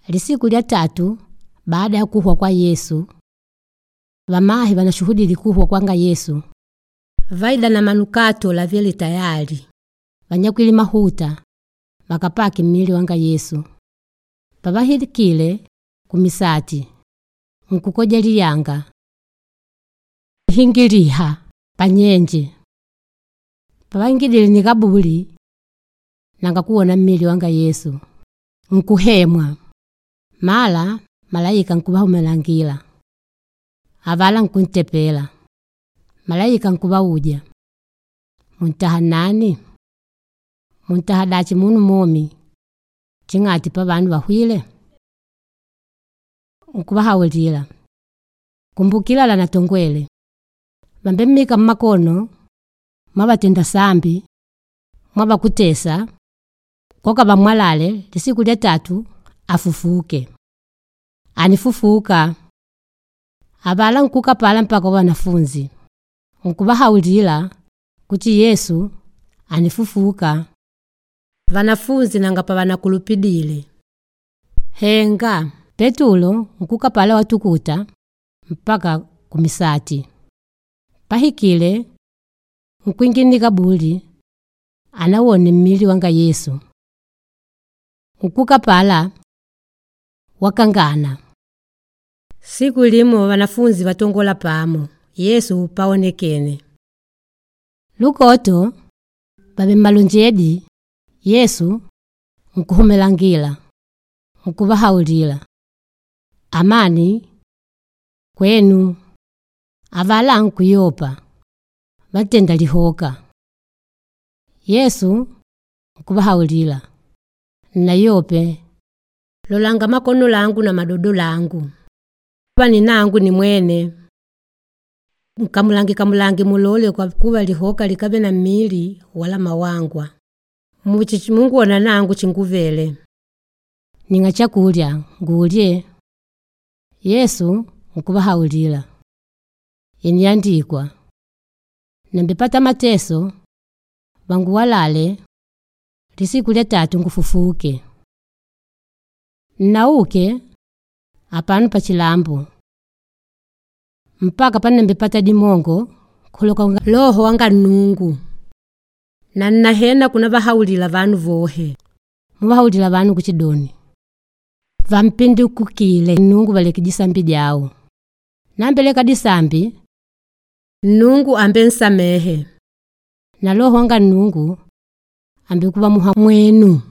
Lisiku lya tatu baada ya kuhwa kwa Yesu, vamahe vanashuhudile kuhwa kwanga Yesu vaida na manukato lavyele tayali vanyakwile mahuta vakapake mmili wanga Yesu. Pavahilikile kumisati nkukoja liyanga hingiliha panyenje. Pavaingidile nikabuli nanga kuwona mmili wanga Yesu nkuhemwa. Mala malaika nkuvahumelangila avala nkuntepela. Malaika nkuvauja, muntaha nani? Muntaha dachi munu momi ching'ati pa vanu vahwile? Nkuvahaulila, kumbukila natongwele vambemmika mmakono mwavatenda sambi mwavakutesa koka vamwalale lisiku lya tatu afufuke. Anifufuka avala nkuka pala mpaka kwa wanafunzi nkuvahaulila kuti Yesu anifufuka. Vanafunzi nanga pavanakulupidile. Henga Petulo nkuka pala watukuta mpaka kumisati. Pahikile nkwingila kabuli anawone mmili wanga Yesu. Nkuka pala wakangana. Siku limo wanafunzi watongola pamo Yesu paonekene. Lukoto vave mmalonjedi Yesu nkuhumelangila nkuvahaulila, amani kwenu. Avala nkuyopa vatenda lihoka. Yesu nkuvahaulila, nnayope lolanga makono langu na madodo langu kuva ninangu ni mwene. Nkamulangi kamulangi mulole kwa kuva lihoka likave na mmili wala mawangwa. Muchi munguona nangu chinguvele. Ninga chakulya ngulye. Yesu nkuvahaulila, iniandikwa nambipata mateso vanguwalale lisiku lya tatu ngufufuke. Nnauke apanu pa chilambo mpaka panembepata dimongo kuloka Loho wanga Nnungu. Na nnahena kunavahaulila vanu vohe. Muvahaulila vanu kuchidoni vampindukukile Nnungu valeke disambi dyao. Nambeleka disambi Nnungu ambe nsamehe. Na Loho wanga Nnungu ambekuva muha mwenu.